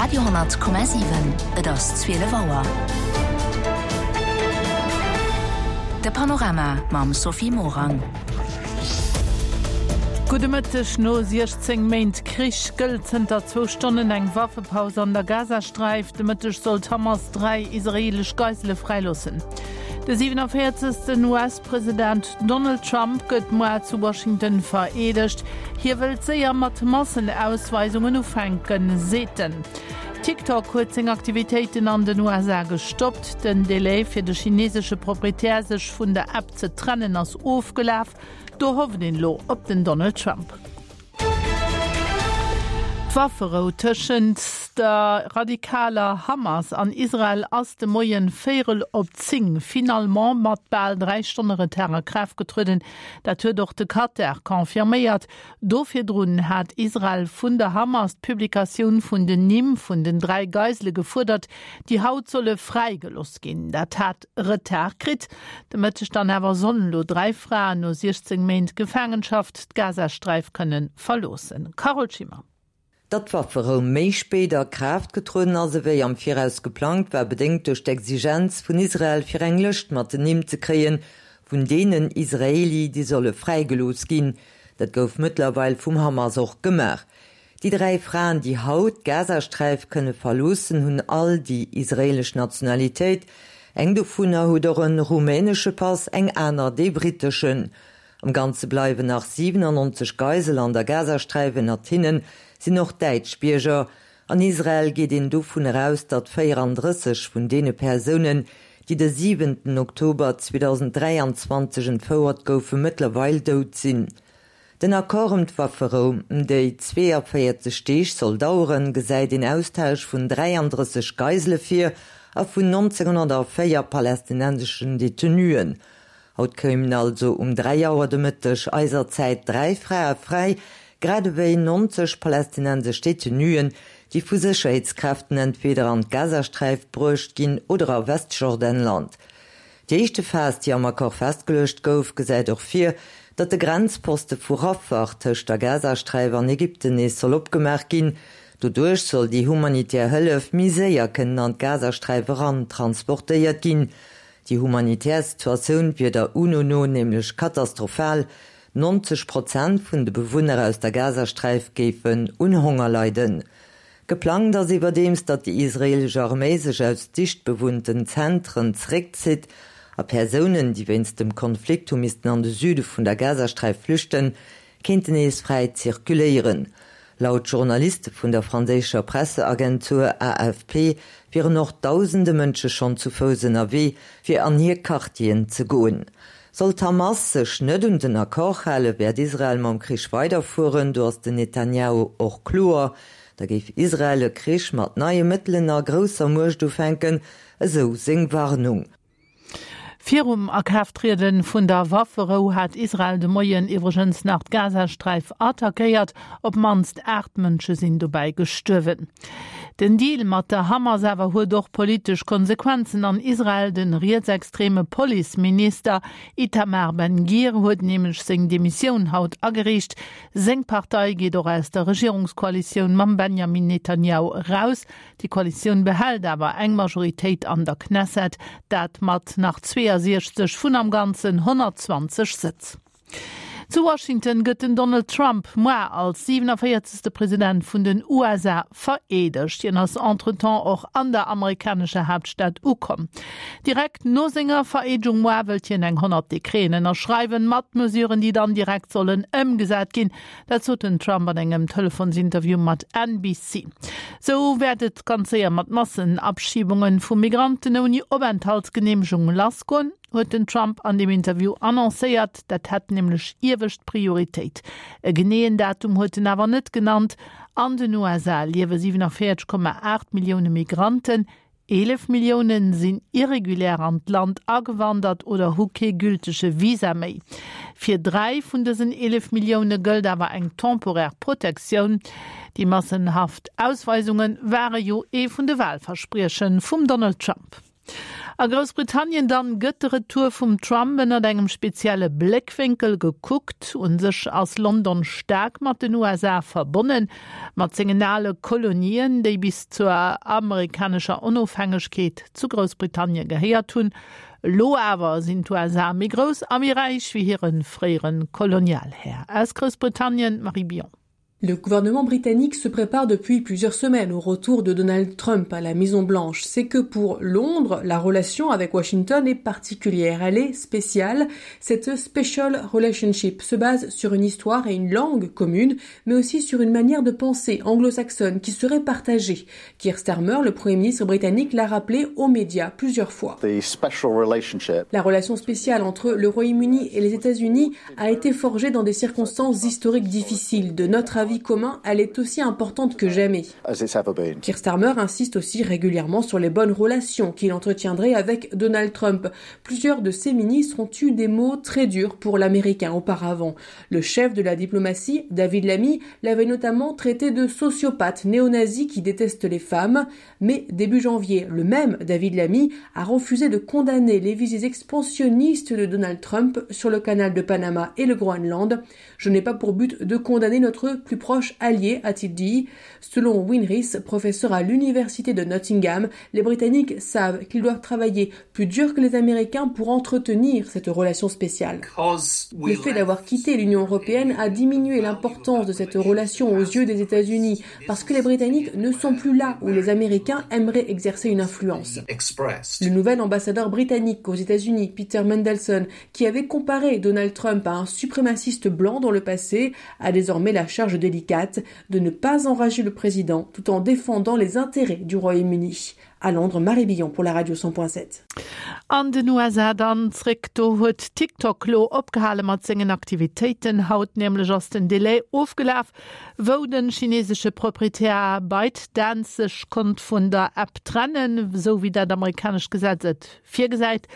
Radio,7 Et ass 12 Auer. De Panorama mam Sophie Morang. Gudde Mëtteg. No 16 Méint Krich gëllt zënter zwou Stonnen eng Waffepaus an der Gazasträif. De Mëtteg soll d'Hamas 3 israeelesch Geisele fräiloossen. De 47. US-President Donald Trump gëtt muar zu Washington vereedegt. Hie wëllt séier mat Massenausweisungen ufänken, seet en. TikTok huet seng Aktivitéiten an den USA gestoppt. Den Delai fir de chinesesche Proprietär sech vun der App ze trennen ass ofgelaf. Do hofft een elo op den Donald Trump. D'Wafferou tëschent der radikaler Hamas an Israel ass de Moien véierel op 10 finalement mat bal 3 Stonne Retard a Kraaft getrueden. Dat huet och de Katar confirméiert. Do virdrun hat Israel vun der Hamas d'Publikatioun vun den Nimm vun den 3 Geisele gefuerdert, déi haut solle fräigelooss ginn. Dat hat Retard kritt. De Mëtteg dann awer sollen elo 3 Fraen no 16 Méint Gefaangenschaft d'Gazasträif kënne verloossen. Carole Schimmer. Datt d'Wafferou méi spéit a Kraaft getrueden ass ewéi am Viraus geplangt, war bedéngt duerch d'Exigenz vun Israel fir eng Lëscht mat den Nimm ze kréien, vun deenen Israeli, déi solle fräigelooss ginn. Dat gouf mëttlerweil vum Hamas och gemaach. Déi 3 Fraen, déi haut d'Gazasträif kënne verloossen, hunn all déi israeelesch Nationalitéit. Eng dovunner huet och e rumänesche Pass, eng aner dee britteschen. Am Ganze bleiwen nach 97 Geisel an der Gazasträif, ënnert hinne sinn och däitsch Bierger. An Israel geet een dovun eraus, datt 34 vun deene Persounen, déi de siwenten Oktober 2023 entfouert goufen, mëttlerweil dout sinn. Den Accord ëm d'Wafferou, déi 42 Deeg soll daueren, gesäit een Austausch vun 33 Geisele vir a vun 1904 palästinenseschen Detenuen. Haut koumen also um 3 Auer de Mëtteg eiser Zäit 3 Frae fräi, grad ewéi 90 palästinensesch Detenuen, déi vu Sécherheetskräften entweder an d'Gazasträif bruecht ginn oder a Westjordanland. Déi éischte Phas, déi am Accord festgeluecht gouf, gesäit och vir, datt de Grenzposte vu Rafah tëscht der Gazasträif an Ägypten nees soll opgemaach ginn. Doduerch soll déi humanitär Hëllef méi séier kënnen an d'Gazasträif eran transportéiert ginn. Déi humanitär Situatioun wier der UNO no nämlech katastrophal, 90 Prozent vun de Bewunner aus der Gazasträif géifen un Honger leiden. Geplangt ass iwwerdeems, datt déi israeelesch Arméi sech aus dicht bewunnten Zentren zeréckzitt a Persounen, déi wéinst dem Konflikt hu missten an de Süde vun der Gazasträif flüchten, kéinten nees fräi zirkuléieren. Laut Journaliste vun der franséischer Presseagentur AFP wieren och dausende Mënsche schonn zu Fouss ënnerwee, fir an hir Quartieren ze goen. Sollt d'Hamas sech net un den Accord halen, wäert Israel mam Krich weiderfueren, do ass den Netanjahu och kloer. Da géif Israel e Krich mat neie Mëttelen a grousser Muecht ufänken, esou seng Warnung. Virum Akraafttriede vun der Wafferou hat Israel de Moien iwwregens nach d'Gazasträif attackéiert. Op d'mannst 8 Mënsche sinn dobäi gestuerwen. Den Deal mat der Hamas awer huet och politesch Konsequenzen an Israel. De rietsextreme Policeminister Itamar Ben-Gvir huet nämlech seng Demissioun haut agereecht. Seng Partei geet och aus der Regierungskoalitioun mam Benjamin Netanjahu eraus. Déi Koalitioun behält awer eng Majoritéit an der Knesset, dat mat nach 62 vun am Ganzen 120 Sëtz. Zu Washington gëtt den Donald Trump moar als 47. President vun den USA vereedegt. Hien ass entretemps och an der amerikanescher Haaptstad ukomm. Direkt no senger Vereedegung moar wëllt hien eng 100 Dekreten ënnerschreiwen, mat Mesuren, déi dann direkt sollen ëmgesat ginn. Dat sot den Trump an engem Telefonsinterview mat NBC. Sou wäert et ganz séier mat Massenabschiebunge vu Migranten ouni Openthaltsgeneemegung lassgoen. huet den Trump an deem Interview annoncéiert. Dat hätt nämlech iewescht Prioritéit. E geneeën Datum huet en awer net genannt. An den USA liewe 47,8 Millioune Migranten. 11 Millioune sinn irregulär an d'Land agewandert oder hu kee gültege Visa méi. Fir 3 vun dësen 11 Millioune gëllt awer eng temporär Protektioun. Déi massenhaft Ausweisunge ware jo ee vun de Walversprieche vum Donald Trump. A Groussbritannien dann gëtt de Retour vum Trump ënnert engem spezielle Bléckwénkel gekuckt. Un sech ass London staark mat den USA verbonnen, mat sengen ale Kolonien, déi bis zur amerikanescher Onofhängegkeet zu Groussbritannien gehéiert hunn. Elo awer sinn d'USA méi grouss a méi räich wéi hire fréiere Kolonialhär. Aus Groussbritannien d'Marie Billon. Le gouvernement britannique se prépare depuis plusieurs semaines au retour de Donald Trump à la Maison Blanche. C'est que pour Londres, la relation avec Washington est particulière, elle est spéciale. Cette special relationship se base sur une histoire et une langue commune, mais aussi sur une manière de penser anglo-saxonne qui serait partagée. Keir Starmer, le premier ministre britannique, l'a rappelé aux médias plusieurs fois. La relation spéciale entre le Royaume-Uni et les États-Unis a été forgée dans des circonstances historiques difficiles. De notre avis commun, elle est aussi importante que jamais. Keir Starmer insiste aussi régulièrement sur les bonnes relations qu'il entretiendrait avec Donald Trump. Plusieurs de ses ministres ont eu des mots très durs pour l'Américain auparavant. Le chef de la diplomatie, David Lamy, l'avait notamment traité de sociopathe néo-nazi qui déteste les femmes. Mais début janvier, le même David Lamy a refusé de condamner les visées expansionnistes de Donald Trump sur le canal de Panama et le Groenland. Je n'ai pas pour but de condamner notre plus proche allié, a-t-il dit. Selon Winris, professeur à l'université de Nottingham, les Britanniques savent qu'ils doivent travailler plus dur que les Américains pour entretenir cette relation spéciale. Le fait d'avoir quitté l'Union européenne a diminué l'importance de cette relation aux yeux des États-Unis parce que les Britanniques ne sont plus là où les Américains aimeraient exercer une influence. Le nouvel ambassadeur britannique aux États-Unis, Peter Mendelssohn, qui avait comparé Donald Trump à un suprémaciste blanc dans le passé, a désormais la charge délicate de ne pas enrager le président tout en défendant les intérêts du Royaume-Uni. À Londres, Marie Billon pour la radio 100.7. An den USA dann zréck, do huet TikTok lo opgehale mat sengen Aktivitéiten. Haut nämlech ass den Delai ofgelaf, wou de chinesesche Proprietär ByteDance sech konnt vun der App trennen, esou wéi dat amerikanescht Gesetz et virgesäit.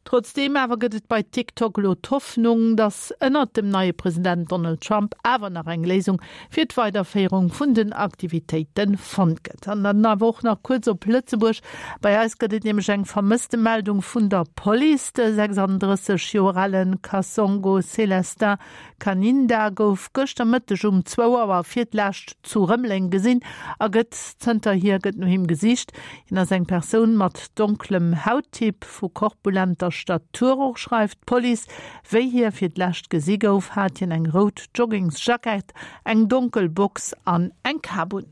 Trotzdeem awer gëtt et bei TikTok elo d'Hoffnung, datt ënnert dem neie President Donald Trump awer nach eng Léisung fir d'Weiderféierung vun den Aktivitéite fonnt gëtt. An dann awer och nach kuerz op Lëtzebuerg. Bei eis gëtt et nämlech eng Vermësstemeldung vun der Police. De 36 Joer ale Kasongo Célestin Kaninda gouf gëschter Mëtteg um zwou Auer fir d'lescht zu Rëmeleng gesinn a gëtt zënterhier gëtt no him gesicht. Hien ass eng Persoun mat donklem Hauttyp, vu korpulenter Statur. Och schreift d'Police, wéi hie fir d'lescht gesi gouf, hat hien eng rout Joggingsjackett, eng donkel Box an eng Kap un.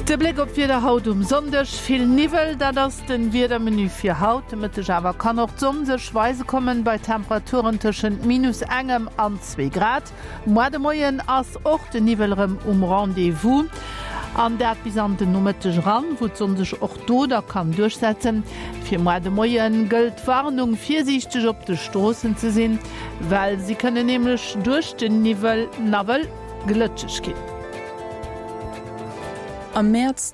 De Bléck op d'Wieder haut um Sonndeg, Vill Niwwel, dat ass den Wiedermenu fir haut. De Mëtteg awer kann och d'Sonn sech weise kommen, bei Temperaturen tëschent minus engem an zwee Grad. Moar de Moien ass och de Niwwel erëm um Rendez-vous, an dat bis an den Nomëtteg eran, wou d'Sonn sech och do da kann duerchsetzen. Fir moar de Moie gëllt d'Warnung, virsiichteg op de Stroossen ze sinn. Well si kënnen nämlech duerch den Niwwel nawell glëtscheg ginn. Am Mäerz.